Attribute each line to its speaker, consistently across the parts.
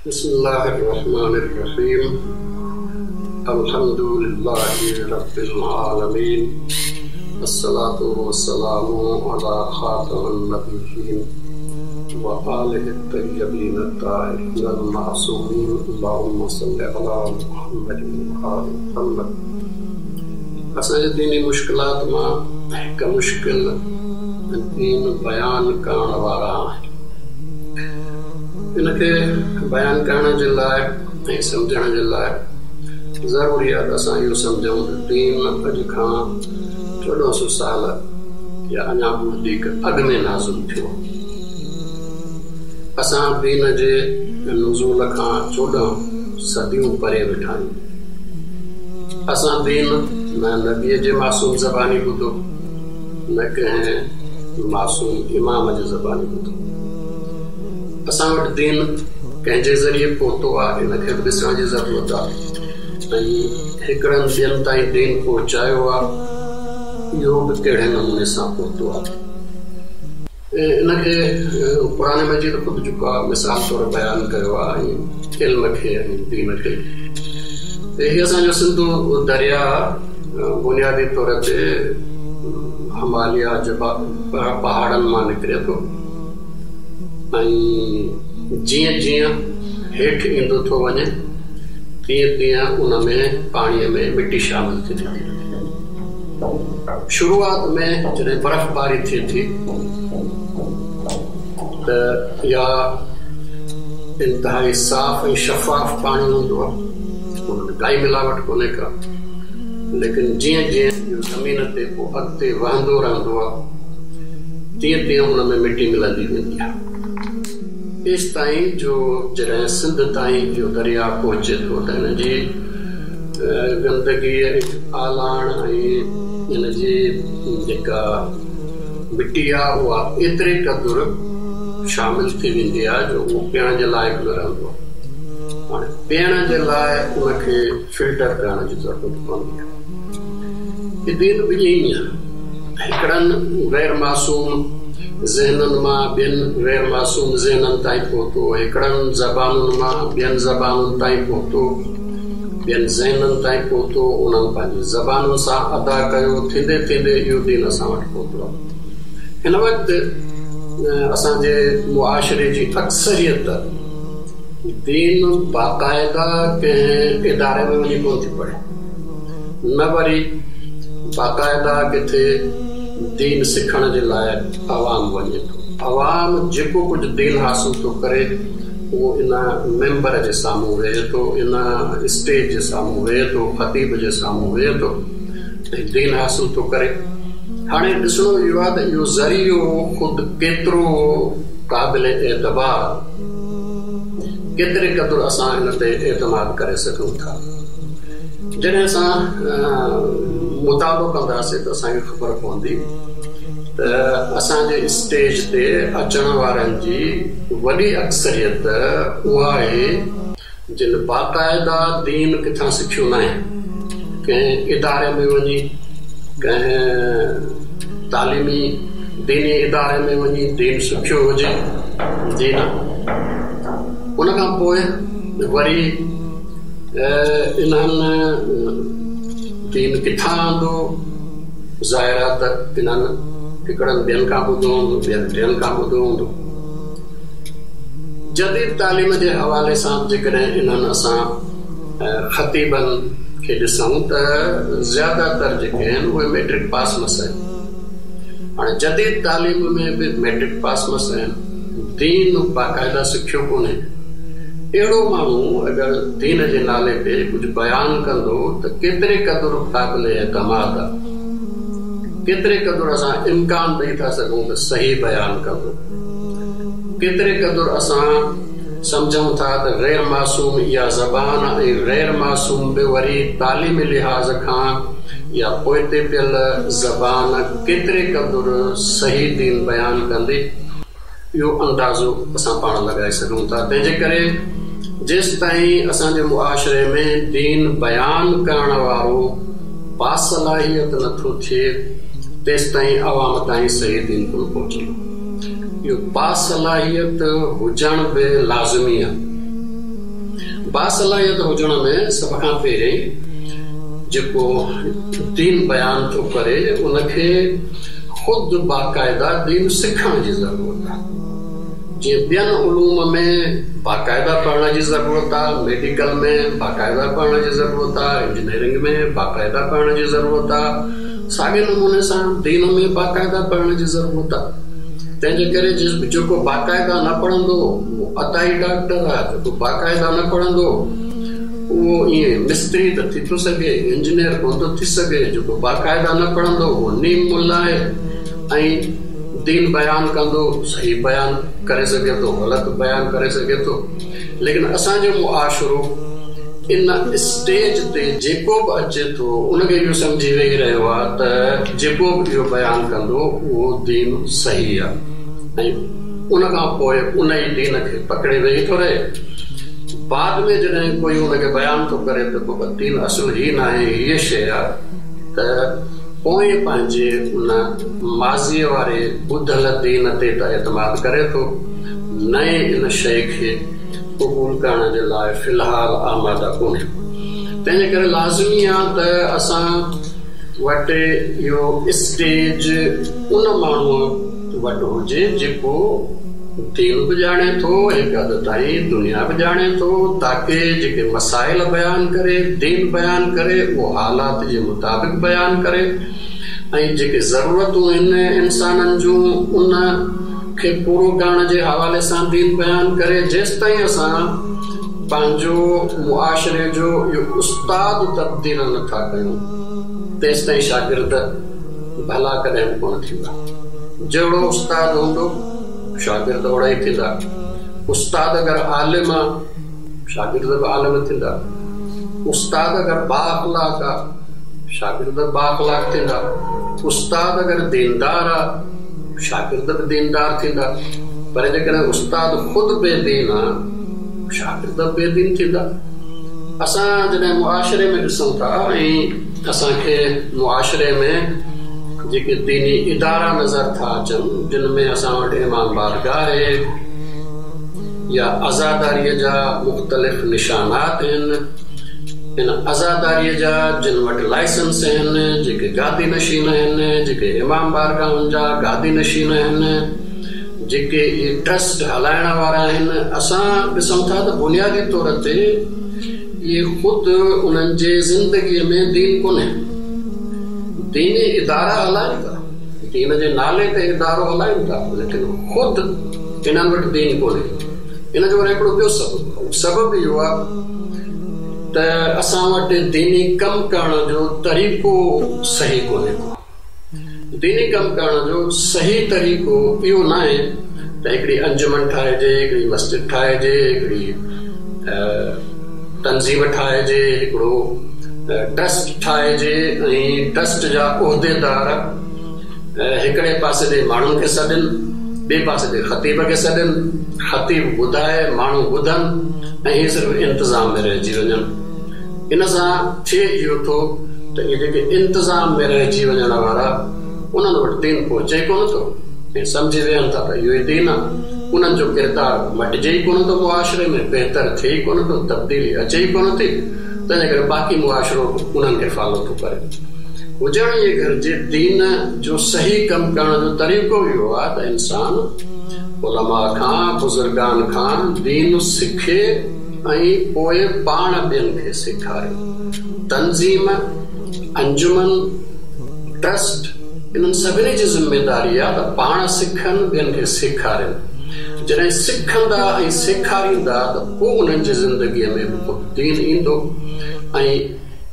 Speaker 1: بسم الله الرحمن الرحيم الحمد لله رب العالمين الصلاة والسلام على خاتم النبيين وآله الطيبين الطاهرين المعصومين اللهم صل على محمد وآل محمد. اسان جي ديني مشڪلات مان هڪ مشڪل دين بيان ڪرڻ وارا آهن. ان کي بيان ڪرڻ جي لاء ۽ سمجهڻ جي لاء ضروري آهي ته اسان اهو سمجهون ته دين اڄ کان 1400 سال يا اڃا به وڌيڪ اڳ ۾ نازل ٿيو. اسان دين جي نزول کان 14 صديون پري ويٺا آهيون. اسان دين نه نبيء جي معصوم زباني ٻڌو، نه ڪنهن معصوم امام جي زباني ٻڌو. اسان وٽ دين ڪنهن جي ذريعي پهتو آهي، ان کي به ڏسڻ جي ضرورت آهي ۽ هڪڙن ٻين تائين دين پهچايو آهي، اهو به ڪهڙي نموني سان پهتو آهي. ان کي قرآن مجيد خود جيڪو آهي مثال طور بيان ڪيو آهي ۽ علم کي ۽ دين کي. هي اسان جو سنڌو درياء بنيادي طور تي هماليا پهاڙن مان نڪري ٿو ۽ جيئن جيئن هيٺ ايندو ٿو وڃي تيئن تيئن ان ۾ پاڻيء ۾ مٽي شامل ٿيندي ٿي وڃي. شروعات ۾ جڏهن برفباري ٿئي ٿي ته اها انتهائي صاف ۽ شفاف پاڻي هوندو آهي، ان ۾ ڪائي ملاوٽ ڪونهي ڪا، ليڪن جيئن جيئن اهو زمين تي پوء اڳتي وهندو رهندو آهي تيئن تيئن ان ۾ مٽي ملندي ويندي آهي، ايستائين جو جڏهن سنڌ تائين اهو درياء پهچي ٿو ته ان جي گندگي ۽ آلاڻ ۽ ان جي جيڪا مٽي آهي اها ايتري قدر شامل ٿي ويندي آهي جو اهو پيئڻ جي لائق نه رهندو آهي. هاڻي پيئڻ جي لاء ان کي فلٽر ڪرڻ جي ضرورت پوندي آهي. هي دين به ائين ئي آهي. هڪڙن غير معصوم ذهنن مان ٻين غير معصوم ذهنن تائين پهتو، هڪڙن زبانن مان ٻين زبانن تائين پهتو. ٻين ذهنن تائين پهتو، انهن پنهنجي زبانن سان ادا ڪيو، ٿيندي ٿيندي اهو دين اسان وٽ پهتو آهي. هن وقت اسان جي معاشري جي اڪثريت دين باقاعده ڪنهن اداري ۾ وڃي ڪونه ٿي پڙهي، نه وري باقاعده ڪٿي دين سکڻ جي لاء عوام وڃي ٿو. عوام جيڪو ڪجهه دين حاصل ٿو ڪري، اهو ان منبر جي سامهون ويهي ٿو، ان اسٽيج جي سامهون ويهي ٿو، خطيب جي سامهون ويهي ٿو ۽ دين حاصل ٿو ڪري. هاڻي ڏسڻو اهو آهي ته اهو ذريعو خود ڪيترو قابل اعتبار، ڪيتري قدر اسان ان تي اعتماد ڪري سگهون ٿا. جڏهن اسان مطالعو ڪنداسين ته اسان کي خبر پوندي ته اسان جي اسٽيج تي اچڻ وارن جي وڏي اڪثريت اها آهي جن باقاعده دين ڪٿان سکيو ناهي، ڪنهن اداري ۾ وڃي، ڪنهن تعليمي ديني اداري ۾ وڃي دين سکيو هجي، جي نه. ان کان پوء وري انهن دين ڪٿان آندو؟ ظاهر آهي ته انهن هڪڙن ٻين کان ٻڌو هوندو، ٻين ٽين کان ٻڌو هوندو. جديد تعليم جي حوالي سان به جيڪڏهن انهن اسان خطيبن کي ڏسون ته زياده تر جيڪي آهن اهي مئٽرڪ پاس مس آهن. هاڻي جديد تعليم ۾ به مئٽرڪ پاس مس آهن، دين باقاعده سکيو ڪونهي. اهڙو ماڻهو اگر دين جي نالي تي ڪجهه بيان ڪندو ته ڪيتري قدر قابل اعتماد آ؟ ڪيتري قدر اسان امڪان ڏئي ٿا سگهون ته صحيح بيان ڪندو؟ ڪيتري قدر اسان سمجهون ٿا ته غير معصوم اها زبان ۽ غير معصوم به وري تعليمي لحاظ کان اها پوئتي پيل زبان ڪيتري قدر صحيح دين بيان ڪندي؟ اهو اندازو اسان پاڻ لڳائي سگهون ٿا. تنهن جي ڪري جيستائين اسان جي معاشري ۾ دين بيان ڪرڻ وارو باصلاحيت نه ٿو ٿئي تيستائين عوام تائين صحيح دين ڪونه پهچندو. اهو باصلاحيت هجڻ به لازمي آهي. باصلاحيت هجڻ ۾ سڀ کان پهرين جيڪو دين بيان ٿو ڪري ان کي خود باقاعده دين سکڻ جي ضرورت آهي. جيئن ٻين علوم ۾ باقاعده پڙهڻ جي ضرورت آهي، ميڊيڪل ۾ باقاعده پڙهڻ جي ضرورت آهي، انجنيئرنگ ۾ باقاعده پڙهڻ جي ضرورت آهي، ساڳئي نموني سان دين ۾ باقاعده پڙهڻ جي ضرورت آهي. تنهن جي ڪري جيڪو باقاعده نه پڙهندو اهو عطائي ڊاڪٽر آهي، جيڪو باقاعده نه پڙهندو اهو ائين مستري ته ٿي ٿو سگهي، انجنيئر ڪونه ٿو ٿي سگهي، جيڪو باقاعده نه پڙهندو اهو نيم ملا آهي ۽ دين بيان ڪندو، صحيح بيان ڪري سگهي ٿو، غلط بيان ڪري سگهي ٿو، ليڪن اسان جو معاشرو ان اسٽيج تي جيڪو به اچي ٿو ان کي اهو سمجهي ويهي رهيو آهي ته جيڪو به اهو بيان ڪندو اهو دين صحيح آهي ۽ ان کان پوء ان ئي دين کي پڪڙي ويهي ٿو رهي. بعد ۾ جڏهن ڪوئي ان کي بيان ٿو ڪري ته بابا دين اصل هي ناهي هيء شيء آهي ته پوء پنهنجي ان ماضيء واري ٻڌل دين تي ته اعتماد ڪري ٿو، نئين ان شيء کي قبول ڪرڻ جي لاء في الحال آماده ڪونهي. تنهن جي ڪري لازمي آ ته اسان وٽ اهو اسٽيج ان ماڻهوء وٽ هجي جيڪو دين به ڄاڻي ٿو، هڪ حد تائين دنيا به ڄاڻي ٿو، تاڪه جيڪي مسائل بيان ڪري، دين بيان ڪري، اهو حالات جي مطابق بيان ڪري ۽ جيڪي ضرورتون آهن انسانن جون ان کي پورو ڪرڻ جي حوالي سان دين بيان ڪري، جيستائين اسان پنهنجو معاشري جو اهو استاد تبديل نه ٿا ڪيون تيستائين شاگرد ڀلا ڪڏهن به ڪونه ٿيندا. جهڙو استاد هوندو شاگرد اوهڙا ئي ٿيندا. استاد اگر عالم آ شاگرد به عالم ٿيندا. استاد اگر بااخلاق آ شاگرد به بااخلاق ٿيندا. استاد اگر ديندار آ شاگرد به ديندار ٿيندا. پر جيڪڏهن استاد خود بي دين آ شاگرد به بي دين ٿيندا. اسان جڏهن معاشري ۾ ڏسون ٿا ۽ اسان کي معاشري ۾ جيڪي ديني ادارا نظر ٿا اچن جن ۾ اسان وٽ امام بارگاهه آهي يا عزاداريء جا مختلف نشانات آهن، ان عزاداريء جا جن وٽ لائسنس آهن، جيڪي گادي نشين آهن، جيڪي امام بارگاهن جا گادي نشين آهن، جيڪي اهي ٽرسٽ هلائڻ وارا آهن، اسان ڏسون ٿا ته بنيادي طور تي اهي خود انهن جي زندگيء ۾ دين ڪونهي. ديني ادارا هلائن ٿا، دين جي نالي تي ادارو هلائن ٿا، ليڪن خود انهن وٽ دين ڪونهي. ان جو وري هڪڙو ٻيو سبب آهي. اهو سبب اهو آهي ته اسان وٽ ديني ڪم ڪرڻ جو طريقو صحيح ڪونهي ڪو. ديني ڪم ڪرڻ جو صحيح طريقو اهو ناهي ته هڪڙي انجمن ٺاهجي، هڪڙي مسجد ٺاهجي، هڪڙي تنظيم ٺاهجي، هڪڙو ٽرسٽ ٺاهجي ۽ ٽرسٽ جا عهديدار هڪڙي پاسي ڏي ماڻهن کي سڏين، ٻئي پاسي ڏي خطيب کي سڏين، خطيب ٻڌائي، ماڻهو ٻڌن ۽ هي صرف انتظام ۾ رهجي وڃن. ان سان ٿئي اهو ٿو ته اهي جيڪي انتظام ۾ رهجي وڃڻ وارا انهن وٽ دين پهچي ئي ڪونه ٿو ۽ سمجهي ويهن ٿا ته اهو ئي دين آهي. انهن جو ڪردار مٽجي ئي ڪونه ٿو معاشري ۾ بهتر ٿئي ئي ڪونه ٿو، تبديلي اچي ئي ڪونه ٿي، تنهنجي ڪري باقي معاشرو به انهن کي فالو ٿو ڪري. هجڻ ائين گهرجي دين جو صحيح ڪم ڪرڻ جو طريقو اهو آهي ته انسان علماء کان، بزرگان کان دين سکي، ۽ پوء پاڻ ٻين کي سيکاري. تنظيم، انجمن، ٽرسٽ انهن سڀني جي ذميداري آ ته پاڻ سکن ٻين کي سيکارين. جڏهن سکندا ۽ سيکاريندا ته پوء انهن جي زندگيء ۾ به خود دين ايندو ۽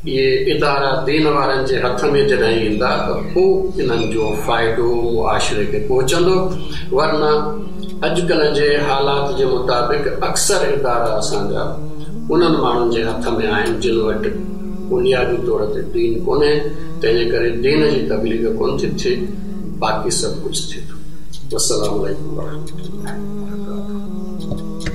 Speaker 1: اهي ادارا دين وارن جي هٿ ۾ جڏهن ايندا ته پوء انهن جو فائدو معاشري کي پهچندو ورنه اڄڪلهه جي حالات جي مطابق اڪثر ادارا اسان جا انهن ماڻهن جي هٿ ۾ آهن جن وٽ بنيادي طور تي دين ڪونهي تنهن جي ڪري دين جي تبليغ ڪونه ٿي ٿئي باقي سڀ ڪجهه ٿئي ٿو. والسلام عليڪم ورحمة الله وبرڪاته.